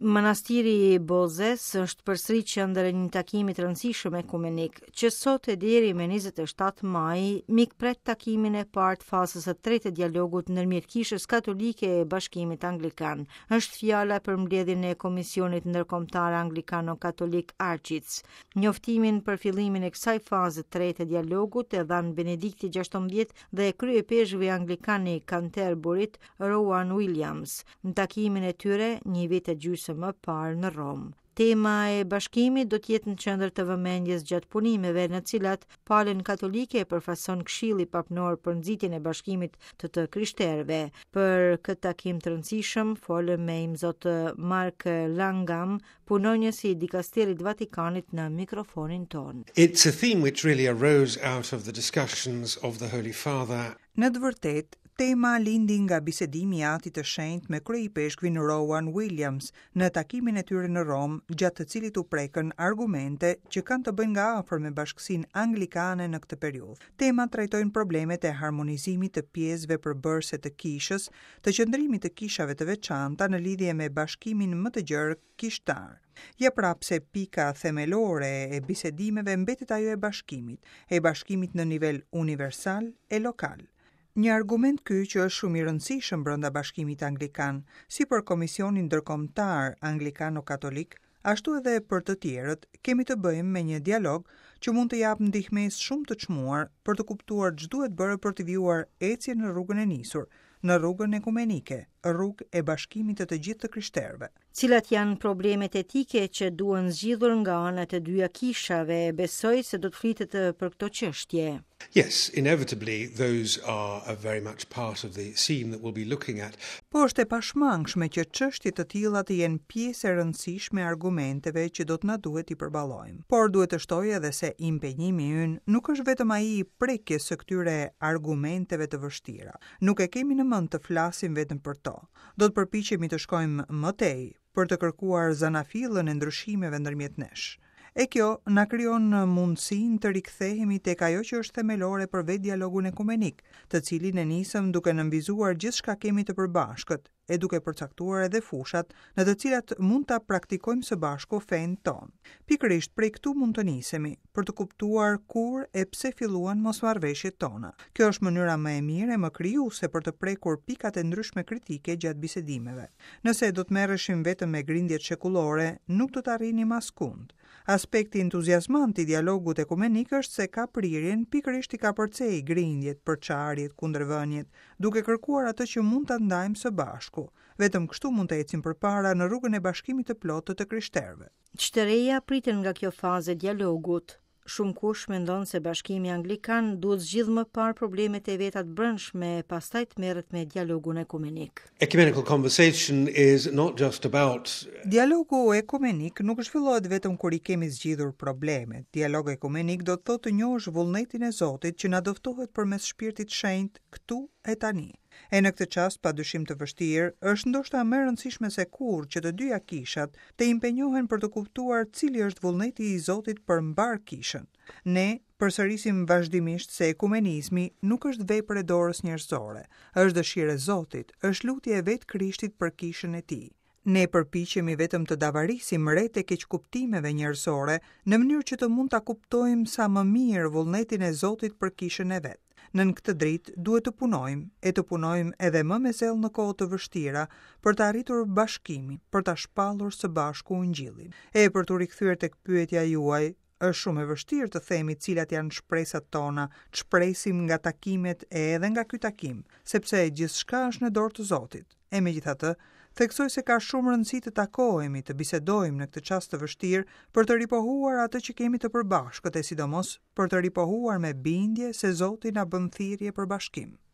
Manastiri i Bozes është përsëri qendër e një takimi të rëndësishëm ekumenik, që sot e deri me 27 maj mikpret takimin e parë të fazës së tretë të dialogut ndërmjet Kishës Katolike e Bashkimit Anglikan. Është fjala për mbledhjen e Komisionit Ndërkombëtar Anglikano-Katolik ARCIC. Njoftimin për fillimin e kësaj faze të tretë të dialogut e dhanë Benedikti XVI dhe kryeipeshkvi anglikan i Canterburyt, Rowan Williams, në takimin e tyre një vit e gjysmë më parë në Romë. Tema e bashkimit do të jetë në qendër të vëmendjes gjatë punimeve në të cilat palën katolike e përfaqëson Këshilli Papnor për nxitjen e bashkimit të të krishterëve. Për këtë takim të rëndësishëm folëm me imzot Mark Langham, punonjës i dikasterit të Vatikanit në mikrofonin tonë. It's a theme which really arose out of the discussions of the Holy Father. Në të vërtetë, tema lindi nga bisedimi i Atit të Shenjtë me kryeipeshkvin Rowan Williams në takimin e tyre në Romë, gjatë të cilit u prekën argumente që kanë të bëjnë nga afër me bashkësinë anglikane në këtë periudhë. Temat trajtojnë problemet e harmonizimit të pjesëve përbërëse të kishës, të qëndrimit të kishave të veçanta në lidhje me bashkimin më të gjerë kishtar. Ja pra pse pika themelore e bisedimeve mbetet ajo e bashkimit, e bashkimit në nivel universal e lokal. Një argument ky që është shumë i rëndësishëm brenda Bashkimit Anglikan, si për Komisionin Ndërkombëtar Anglikano-Katolik, ashtu edhe për të tjerët, kemi të bëjmë me një dialog që mund të japë ndihmesë shumë të çmuar për të kuptuar ç'duhet bërë për të vijuar ecjen në rrugën e nisur, në rrugën ekumenike, rrugë e bashkimit të të gjithë të krishterëve. Cilat janë problemet etike që duhen zgjidhur nga ana e të dyja kishave? Besoj se do të flitet për këto çështje. Yes, inevitably those are a very much part of the scene that we'll be looking at. Po është e pashmangshme që çështje të tilla të jenë pjesë e rëndësishme e argumenteve që do të na duhet t'i përballojmë. Por duhet të shtoj edhe se impenjimi ynë nuk është vetëm ai i prekjes së këtyre argumenteve të vështira. Nuk e kemi në mend të flasim vetëm për to. Do të përpiqemi të shkojmë më tej, për të kërkuar zanafillën e ndryshimeve ndërmjet nesh. E kjo na krijon mundësinë të rikthehemi tek ajo që është themelore për vetë dialogun ekumenik, të cilin e nisëm duke nënvizuar gjithçka kemi të përbashkët e duke përcaktuar edhe fushat në të cilat mund ta praktikojmë së bashku fenë tonë. Pikërisht prej këtu mund të nisemi, për të kuptuar kur e pse filluan mosmarrëveshjet tona. Kjo është mënyra më e mirë e më krijuese për të prekur pikat e ndryshme kritike gjatë bisedimeve. Nëse do të merreshim vetëm me grindjet shekullore, nuk do të arrinim askund. Aspekti entuziazmant i dialogut ekumenik është se ka prirjen pikërisht t'i kapërcejë grindjet, përçarjet, kundërvëniet, duke kërkuar atë që mund ta ndajmë së bashku. Vetëm kështu mund të ecim përpara në rrugën e bashkimit të plotë të të krishterëve. Ç'të reja priten nga kjo fazë e dialogut? Shumëkush mendon se Bashkimi Anglikan duhet zgjidhë më parë problemet e veta të brendshme e pastaj të merret me dialogun ekumenik. Ecumenical conversation is not just about Dialogu ekumenik nuk zhvillohet vetëm kur i kemi zgjidhur problemet. Dialog ekumenik do të thotë të njohësh vullnetin e Zotit që na dëftohet përmes Shpirtit Shenjt këtu e tani. E në këtë çast pa dyshim të vështirë, është ndoshta më e rëndësishme se kurrë që të dyja kishat të impenjohen për të kuptuar cili është vullneti i Zotit për mbarë kishën. Ne përsërisim vazhdimisht se ekumenizmi nuk është vepër e dorës njerëzore, është dëshirë e Zotit, është lutje e vetë Krishtit për kishën e tij. Ne përpiqemi vetëm të davarisim retë e keqkuptimeve njerëzore në mënyrë që të mund ta kuptojmë sa më mirë vullnetin e Zotit për kishën e vet. Nën këtë dritë duhet të punojmë, e të punojmë edhe më me zell në kohë të vështira, për të arritur bashkimin, për ta shpallur së bashku Ungjillin. E për t'u rikthyer tek pyetja juaj, Është shumë e vështirë të themi cilat janë shpresat tona, ç'presim nga takimet e edhe nga ky takim, sepse gjithçka është në dorë të Zotit. E megjithatë, theksoj se ka shumë rëndësi të takohemi, të bisedojmë në këtë çast të vështirë për të ripohuar atë që kemi të përbashkët e sidomos për të ripohuar me bindje se Zoti na bën thirrje për bashkim.